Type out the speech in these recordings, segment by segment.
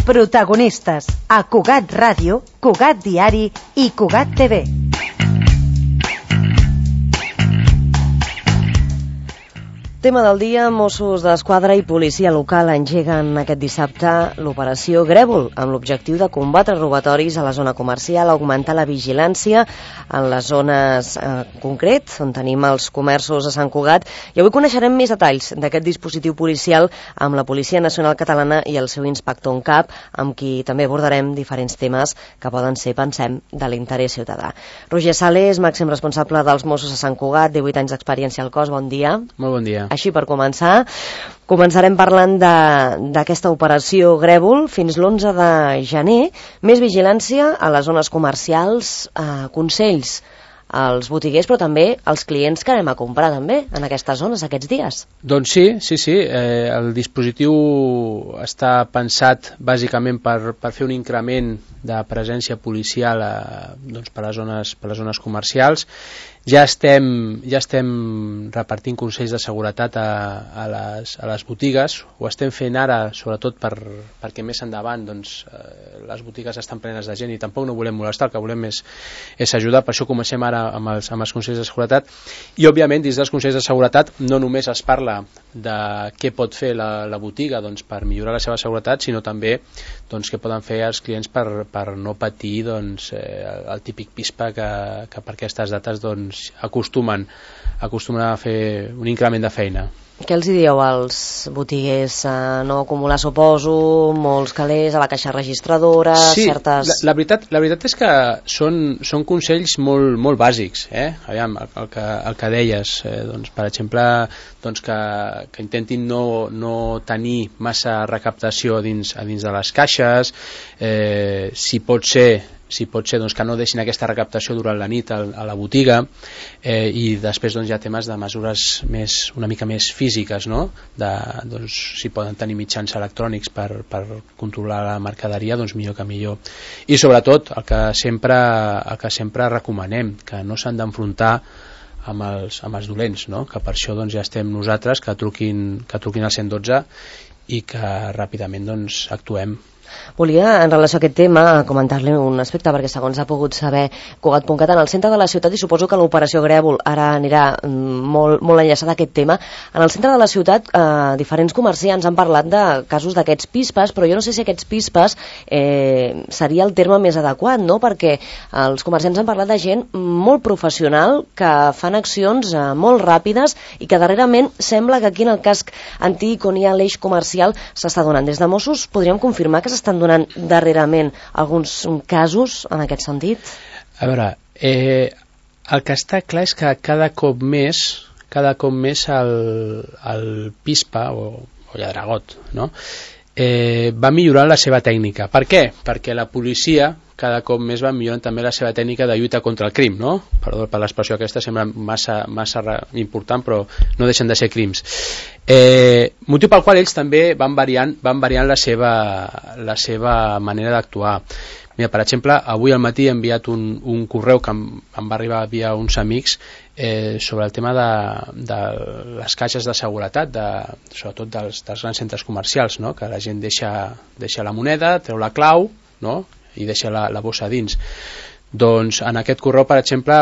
Protagonistes a Cugat Ràdio, Cugat Diari i Cugat TV. Tema del dia, Mossos d'Esquadra i policia local engeguen aquest dissabte l'operació Grèvol, amb l'objectiu de combatre robatoris a la zona comercial, augmentar la vigilància en les zones concret, on tenim els comerços a Sant Cugat. I avui coneixerem més detalls d'aquest dispositiu policial amb la Policia Nacional Catalana i el seu inspector en cap, amb qui també abordarem diferents temes que poden ser, pensem, de l'interès ciutadà. Roger Sales, màxim responsable dels Mossos a Sant Cugat, 18 anys d'experiència al cos, bon dia. Molt bon dia. Així, per començar, començarem parlant d'aquesta operació Grèvol fins l'11 de gener. Més vigilància a les zones comercials, consells als botiguers, però també als clients que anem a comprar també en aquestes zones aquests dies. Doncs sí. El dispositiu està pensat bàsicament per fer un increment de presència policial per les zones comercials. Ja estem repartint consells de seguretat a les botigues. Ho estem fent ara, sobretot perquè més endavant les botigues estan plenes de gent i tampoc no volem molestar, el que volem és ajudar. Per això comencem ara amb els consells de seguretat. I, òbviament, dins dels consells de seguretat no només es parla de què pot fer la botiga per millorar la seva seguretat, sinó també què poden fer els clients per no patir el típic pispa que per aquestes dates acostumen a fer un increment de feina. Què els dieu als botiguers? No acumular, suposo, molts calés a la caixa registradora, sí, certes... La veritat és que són consells molt bàsics. Aviam, el que deies, per exemple, que intentin no tenir massa recaptació dins de les caixes, si pot ser que no deixin aquesta recaptació durant la nit a la botiga, i després hi ha temes de mesures una mica més físiques, no? Si poden tenir mitjans electrònics per controlar la mercaderia, millor que millor. I sobretot el que sempre recomanem, que no s'han d'enfrontar amb els dolents, no? Que per això ja estem nosaltres, que truquin al 112 i que ràpidament actuem. Volia, en relació a aquest tema, comentar-li un aspecte, perquè segons ha pogut saber Cugat.cat, en el centre de la ciutat, i suposo que l'operació Grèvol ara anirà molt enllaçada a aquest tema, en el centre de la ciutat diferents comerciants han parlat de casos d'aquests pispes, però jo no sé si aquests pispes seria el terme més adequat, no? Perquè els comerciants han parlat de gent molt professional que fan accions molt ràpides i que darrerament sembla que aquí en el casc antic on hi ha l'eix comercial s'està donant. Des de Mossos podríem confirmar que s'estan donant darrerament alguns casos en aquest sentit? A veure, el que està clar és que cada cop més el pispa o lladregot, no? Va millorant la seva tècnica. Per què? Perquè la policia cada cop més va millorant també la seva tècnica de lluita contra el crim, no? Perdó per l'expressió aquesta, sembla massa important, però no deixen de ser crims. Motiu pel qual ells també van variant la seva manera d'actuar. Mira, per exemple, avui al matí he enviat un correu que em va arribar via uns amics sobre el tema de les caixes de seguretat, sobretot dels grans centres comercials, no? Que la gent deixa la moneda, treu la clau, no? I deixa la bossa dins. Doncs en aquest correu, per exemple,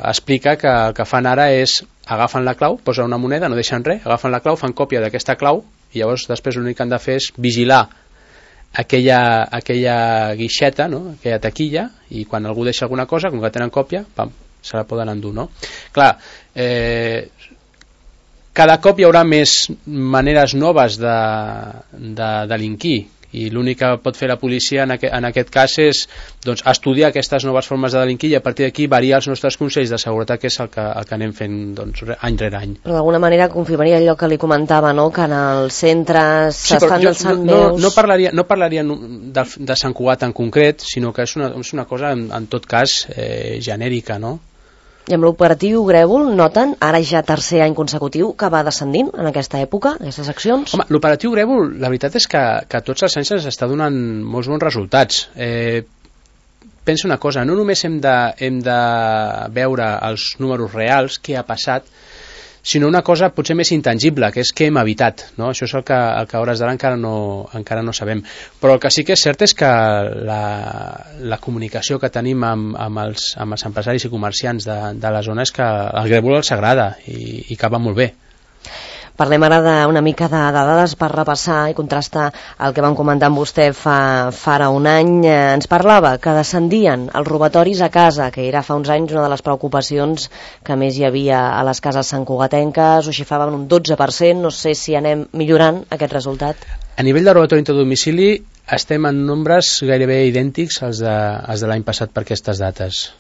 explica que el que fan ara és agafen la clau, posen una moneda, no deixen res, agafen la clau, fan còpia d'aquesta clau i llavors després l'únic que han de fer és vigilar aquella guixeta, no? Aquella taquilla, i quan algú deixa alguna cosa, com que tenen còpia, pam, se la poden endur, no? Clar, cada cop hi haurà més maneres noves de delinquir, i l'únic que pot fer la policia en aquest cas és estudiar aquestes noves formes de delinquir i a partir d'aquí variar els nostres consells de seguretat, que és el que anem fent any rere any. Però d'alguna manera confirmaria allò que li comentava, no? Que en els centres s'estan alçant veus... No parlaria de Sant Cugat en concret, sinó que és una cosa en tot cas genèrica, no? I amb l'operatiu Grèvol noten, ara ja tercer any consecutiu, que va descendint en aquesta època, aquestes accions? Home, l'operatiu Grèvol, la veritat és que tots els anys ens està donant molts bons resultats. Pensa una cosa, no només hem de veure els números reals, què ha passat, sinó una cosa potser més intangible, que és què hem evitat, no? Això és el que a hores d'ara encara no sabem. Però el que sí que és cert és que la comunicació que tenim amb els empresaris i comerciants de la zona és que el grèvol els agrada i que va molt bé. Parlem ara una mica de dades per repassar i contrastar el que vam comentar amb vostè fa ara un any. Ens parlava que descendien els robatoris a casa, que era fa uns anys una de les preocupacions que més hi havia a les cases santcugatenques, ho xifraven un 12%, no sé si anem millorant aquest resultat. A nivell de robatori intradomicili estem en nombres gairebé idèntics als de l'any passat per aquestes dates.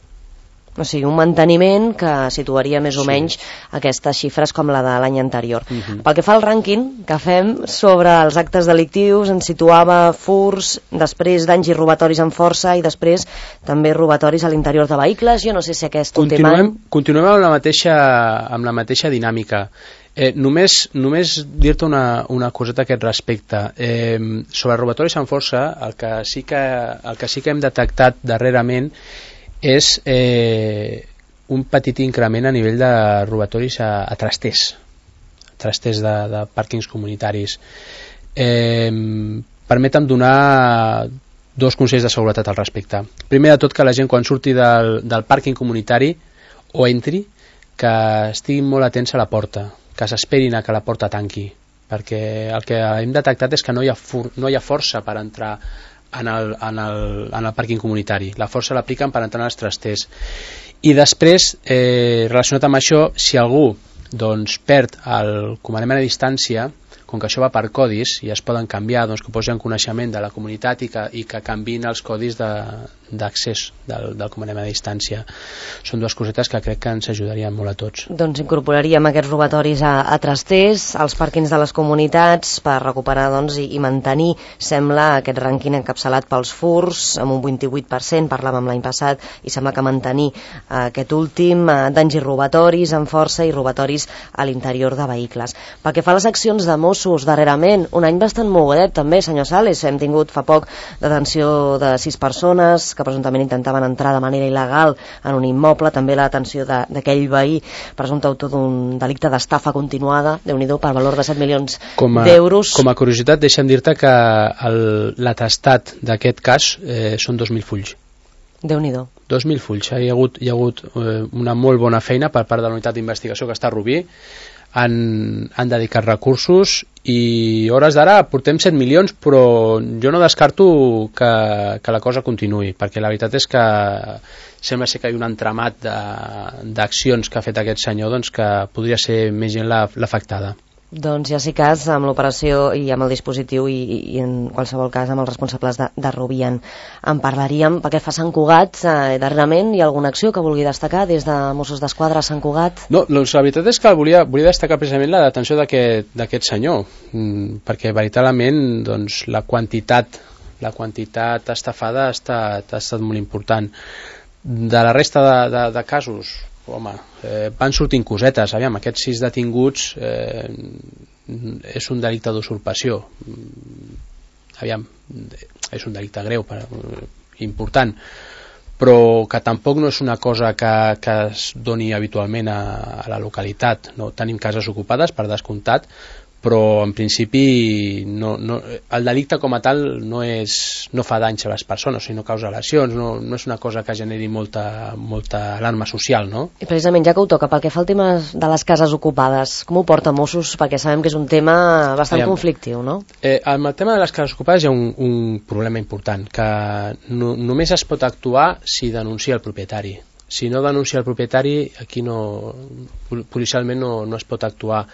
O sigui, un manteniment que situaria més o menys aquestes xifres com la de l'any anterior. Pel que fa al rànquing que fem sobre els actes delictius, ens situava furts, després danys i robatoris amb força i després també robatoris a l'interior de vehicles. Jo no sé si aquest últim any... Continuem amb la mateixa dinàmica. Només dir-te una coseta a aquest respecte. Sobre robatoris amb força, el que sí que hem detectat darrerament és un petit increment a nivell de robatoris a trasters de pàrquings comunitaris. Permetem donar dos consells de seguretat al respecte. Primer de tot, que la gent quan surti del pàrquing comunitari o entri, que estiguin molt atents a la porta, que s'esperin a que la porta tanqui, perquè el que hem detectat és que no hi ha força per entrar en el pàrquing comunitari. La força l'apliquen per entrar en els trasters. I després, relacionat amb això, si algú perd el comandament a distància, com que això va per codis i es poden canviar, que posin coneixement de la comunitat i que canviïn els codis d'accés del comandament a distància. Són dues cosetes que crec que ens ajudarien molt a tots. Doncs incorporaríem aquests robatoris a trasters, als pàrquings de les comunitats, per recuperar i mantenir, sembla, aquest rànquing encapçalat pels furts, amb un 28%, parlàvem l'any passat, i sembla que mantenir aquest últim, danys i robatoris amb força i robatoris a l'interior de vehicles. Pel que fa a les accions de Mossos, darrerament, un any bastant mogudet també, senyor Sales. Hem tingut fa poc detenció de 6 persones que presumptament intentaven entrar de manera il·legal en un immoble, també la detenció d'aquell veí presumpte autor d'un delicte d'estafa continuada, Déu-n'hi-do, per valor de 7 milions d'euros. Com a curiositat, deixa'm dir-te que l'atestat d'aquest cas són 2.000 fulls. Déu-n'hi-do. 2.000 fulls. Hi ha hagut una molt bona feina per part de la unitat d'investigació que està a Rubí. Han dedicat recursos i hores d'ara portem 7 milions, però jo no descarto que la cosa continuï, perquè la veritat és que sembla ser que hi ha un entramat d'accions que ha fet aquest senyor que podria ser més gent l'afectada. Doncs ja sí cas, amb l'operació i amb el dispositiu i en qualsevol cas amb els responsables de Rubí en parlaríem. Pel que fa a Sant Cugat, darrerament hi ha alguna acció que vulgui destacar des de Mossos d'Esquadra a Sant Cugat? No, doncs la veritat és que volia destacar precisament la detenció d'aquest senyor, perquè veritablement la quantitat estafada ha estat molt important. De la resta de casos, home, van sortint cosetes. Aviam, aquests 6 detinguts és un delicte d'usurpació. Aviam, és un delicte greu, important, però que tampoc no és una cosa que es doni habitualment a la localitat. No tenim cases ocupades, per descomptat, però en principi el delicte com a tal no fa danys a les persones, sinó causa lesions, no és una cosa que generi molta alarma social, no? I precisament, ja que ho toca, pel que fa al tema de les cases ocupades, com ho porta Mossos? Perquè sabem que és un tema bastant conflictiu, no? Amb el tema de les cases ocupades hi ha un problema important, que només es pot actuar si denuncia el propietari. Si no denuncia el propietari, aquí policialment no es pot actuar.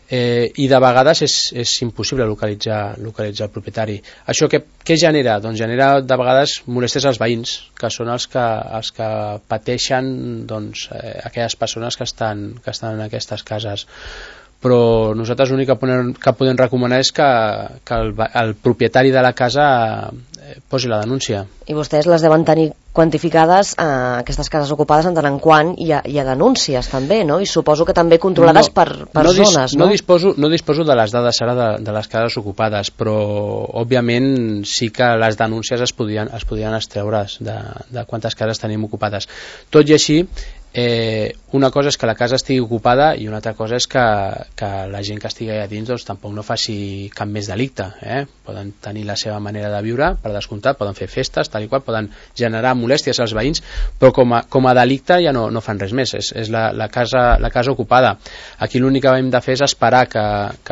I de vegades és impossible localitzar el propietari. Això què genera? Doncs genera de vegades molèsties als veïns, que són els que pateixen aquelles persones que estan en aquestes cases. Però nosaltres l'únic que podem recomanar és que el propietari de la casa posi la denúncia. I vostès les deuen tenir quantificades, aquestes cases ocupades, en tant en quant hi ha denúncies també, no? I suposo que també controlades per zones, no? No disposo de les dades ara de les cases ocupades, però òbviament sí que les denúncies es podien extreure de quantes cases tenim ocupades. Tot i així, una cosa és que la casa estigui ocupada i una altra cosa és que la gent que estigui allà dins doncs, tampoc no faci cap més delicte. Poden tenir la seva manera de viure, per descomptat, poden fer festes, tal i qual, poden generar molèsties als veïns, però com a delicte ja no fan res més, és la casa ocupada. Aquí l'únic que hem de fer és esperar que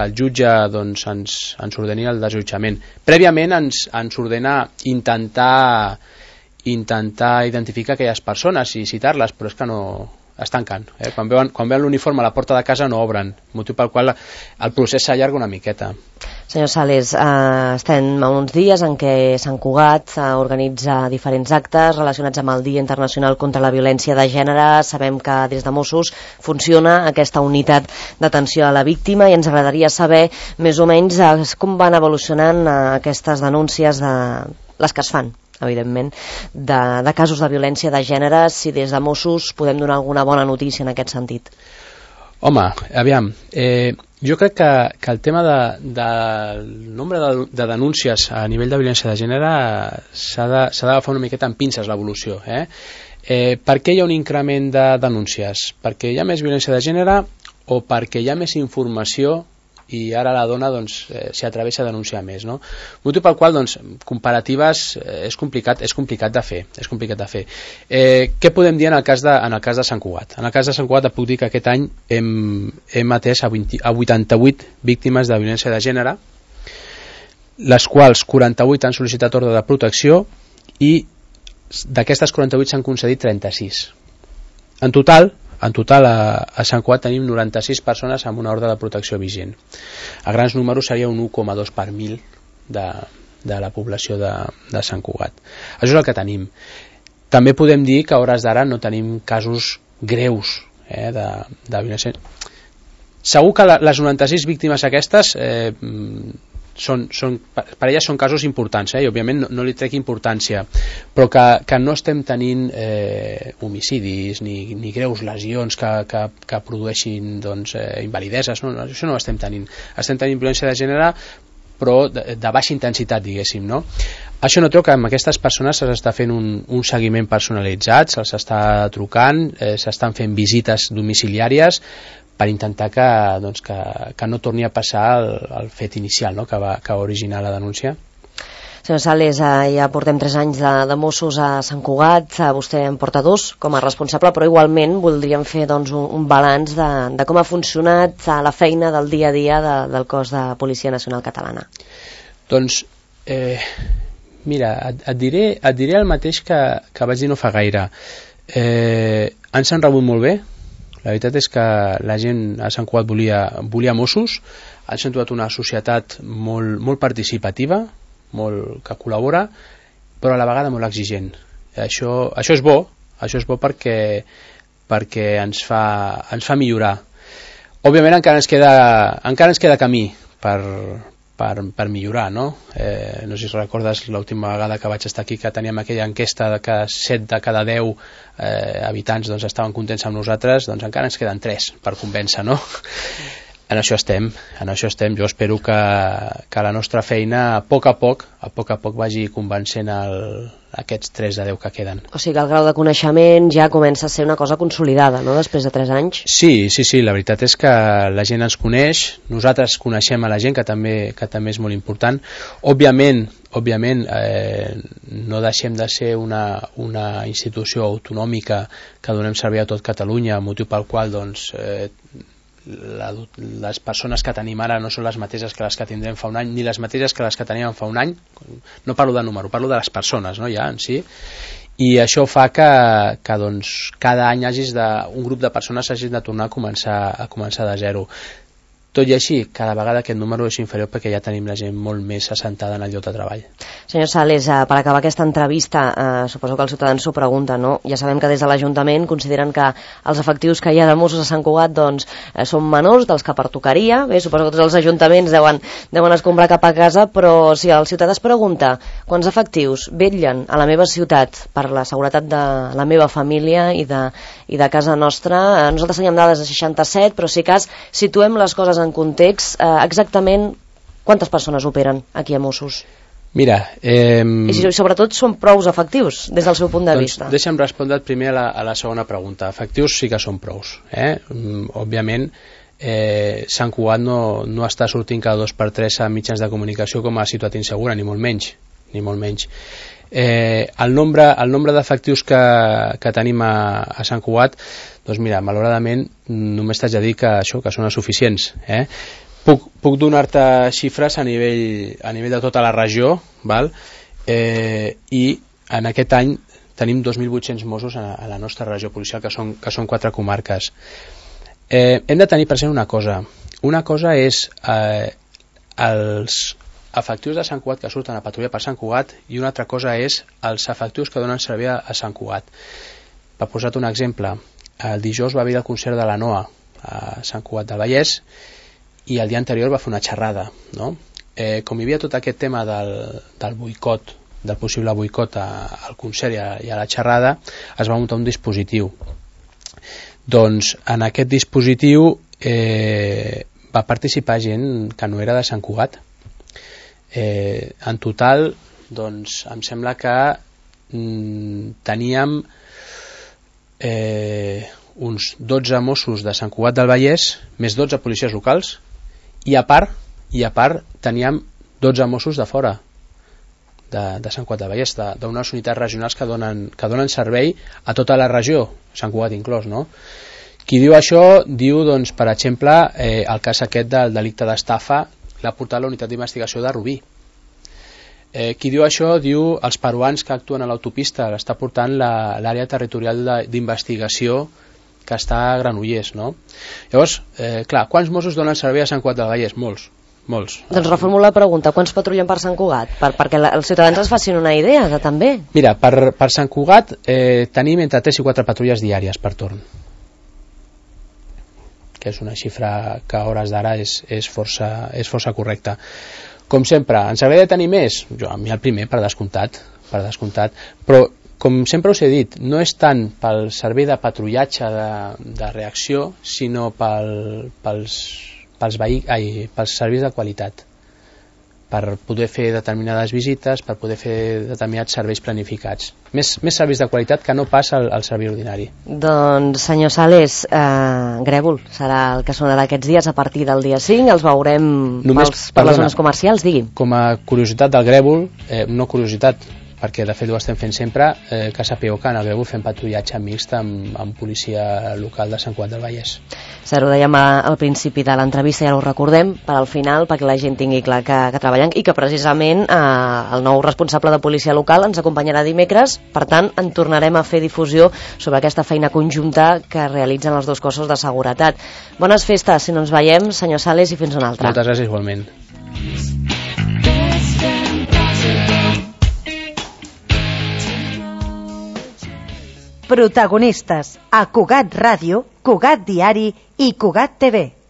el jutge doncs, ens ordeni el desallotjament. Prèviament ens ordena intentar identificar aquelles persones i citar-les, però és que no es tanquen. Quan veuen l'uniforme a la porta de casa no obren, motiu pel qual el procés s'allarga una miqueta. Senyor Sales, estem a uns dies en què Sant Cugat organitza diferents actes relacionats amb el Dia Internacional contra la Violència de Gènere. Sabem que des de Mossos funciona aquesta unitat d'atenció a la víctima i ens agradaria saber més o menys com van evolucionant aquestes denúncies, les que es fan evidentment, de casos de violència de gènere, si des de Mossos podem donar alguna bona notícia en aquest sentit. Home, aviam, jo crec que el tema del nombre de denúncies a nivell de violència de gènere s'ha d'agafar una miqueta amb pinces l'evolució. Per què hi ha un increment de denúncies? Perquè hi ha més violència de gènere o perquè hi ha més informació i ara la dona doncs, s'hi atreveix a denunciar més, no? Motiu pel qual doncs, comparatives és complicat de fer. Què podem dir en el cas de Sant Cugat? En el cas de Sant Cugat puc dir que aquest any hem atès a 88 víctimes de violència de gènere, les quals 48 han sol·licitat ordre de protecció i d'aquestes 48 s'han concedit 36. En total a Sant Cugat tenim 96 persones amb una ordre de protecció vigent. A grans números seria un 1,2 per 1.000 de la població de Sant Cugat. Això és el que tenim. També podem dir que a hores d'ara no tenim casos greus de violència. Segur que les 96 víctimes aquestes per elles són casos importants, i òbviament no li trec importància, però que no estem tenint homicidis ni greus lesions que produeixin doncs, invalideses, no? Això no ho estem tenint. Estem tenint violència de gènere però de baixa intensitat, diguéssim, no? Això no treu que amb aquestes persones s'està fent un seguiment personalitzat, se'ls està trucant, s'estan fent visites domiciliàries per intentar que no torni a passar el fet inicial, no? que va originar la denúncia. Senyor Sales, ja portem 3 anys de Mossos a Sant Cugat, vostè en porta 2 com a responsable, però igualment voldríem fer doncs, un balanç de com ha funcionat la feina del dia a dia del cos de Policia Nacional Catalana. Doncs, mira, et diré el mateix que vaig dir no fa gaire. Ens han rebut molt bé. La veritat és que la gent a Sant Cugat volia Mossos, han sentit una societat molt participativa, que col·labora, però a la vegada molt exigent. Això és bo perquè ens fa millorar. Òbviament encara ens queda camí per millorar, no? No sé si recordes l'última vegada que vaig estar aquí que teníem aquella enquesta de que 7 de cada 10 habitants doncs, estaven contents amb nosaltres, doncs encara ens queden 3 per convèncer, no? En això estem. Jo espero que la nostra feina a poc a poc vagi convencent aquests 3 de 10 que queden. O sigui que el grau de coneixement ja comença a ser una cosa consolidada, no?, després de 3 anys? Sí, la veritat és que la gent ens coneix, nosaltres coneixem a la gent, que també és molt important. Òbviament, no deixem de ser una institució autonòmica que donem servei a tot Catalunya, motiu pel qual doncs, les persones que tenim ara no són les mateixes que les que tindrem fa un any, ni les mateixes que les que teníem fa un any. No parlo de número, parlo de les persones, no, ja en si. I això fa que doncs, cada any un grup de persones hagin de tornar a començar de zero. Tot i així, cada vegada aquest número és inferior perquè ja tenim la gent molt més assentada en el lloc de treball. Senyor Sales, per acabar aquesta entrevista, suposo que els ciutadans s'ho pregunten, no? Ja sabem que des de l'Ajuntament consideren que els efectius que hi ha de Mossos a Sant Cugat doncs, són menors dels que pertocaria. Bé, suposo que tots els ajuntaments deuen escombrar cap a casa, però si el ciutadà es pregunta quants efectius vetllen a la meva ciutat per la seguretat de la meva família i de casa nostra, nosaltres teníem dades de 67, però si cas situem les coses en context, exactament quantes persones operen aquí a Mossos? Mira... I sobretot són prous efectius, des del seu punt de vista. Deixa'm respondre primer a la segona pregunta. Efectius sí que són prous. Òbviament, Sant Cugat no està sortint cada 2 per 3 a mitjans de comunicació com a ciutat insegura, ni molt menys. El nombre d'efectius que tenim a Sant Cugat, doncs mira, malauradament només t'haig de dir que són suficients. Puc donar-te xifres a nivell de tota la regió, val? I en aquest any tenim 2.800 Mossos a la nostra regió policial, que són 4 comarques. Hem de tenir present una cosa. Una cosa és els efectius de Sant Cugat que surten a patrullar per Sant Cugat, i una altra cosa és els efectius que donen servei a Sant Cugat. Per posar-te un exemple, el dijous va haver el concert de la NOA a Sant Cugat del Vallès, i el dia anterior va fer una xerrada, no? Com hi havia tot aquest tema del boicot, del possible boicot al concert i a la xerrada, es va muntar un dispositiu. Doncs en aquest dispositiu va participar gent que no era de Sant Cugat. En total, doncs, em sembla que teníem uns 12 Mossos de Sant Cugat del Vallès, més 12 policies locals, i a part teníem 12 Mossos de fora de Sant Cugat del Vallès, d'unes unitats regionals que donen servei a tota la regió, Sant Cugat inclòs, no? Qui diu això diu, doncs, per exemple, el cas aquest del delicte d'estafa l'ha portat la unitat d'investigació de Rubí. Qui diu això diu els peruans que actuen a l'autopista, l'està portant l'àrea territorial d'investigació que està a Granollers, no? Llavors, clar, quants Mossos donen servei a Sant Cugat del Vallès? Molts. Doncs reformulo la pregunta, quants patrullen per Sant Cugat? Perquè els ciutadans es facin una idea, que també. Mira, per Sant Cugat tenim entre 3 i 4 patrulles diàries per torn, que és una xifra que a hores d'ara és força correcta. Com sempre, ens agradaria tenir més? A mi el primer, per descomptat, però com sempre us he dit, no és tant pel servei de patrullatge de reacció, sinó pels serveis de qualitat, per poder fer determinades visites, per poder fer determinats serveis planificats. Més serveis de qualitat que no passa al servei ordinari. Doncs, senyor Sales, Grèvol serà el que sonarà aquests dies a partir del dia 5, els veurem per les zones comercials, digui'm. Com a curiositat del Grèvol, no curiositat, perquè de fet ho estem fent sempre, que sapigueu que en el Grèvol fem patrullatge mixt amb policia local de Sant Cugat del Vallès. Ho dèiem al principi de l'entrevista, ja ho recordem, per al final, perquè la gent tingui clar que treballen, i que precisament el nou responsable de policia local ens acompanyarà dimecres, per tant en tornarem a fer difusió sobre aquesta feina conjunta que realitzen els dos cossos de seguretat. Bones festes, si no ens veiem, senyor Sales, i fins una altra. Moltes gràcies, igualment. Protagonistes a Cugat Ràdio, Cugat Diari i Cugat TV.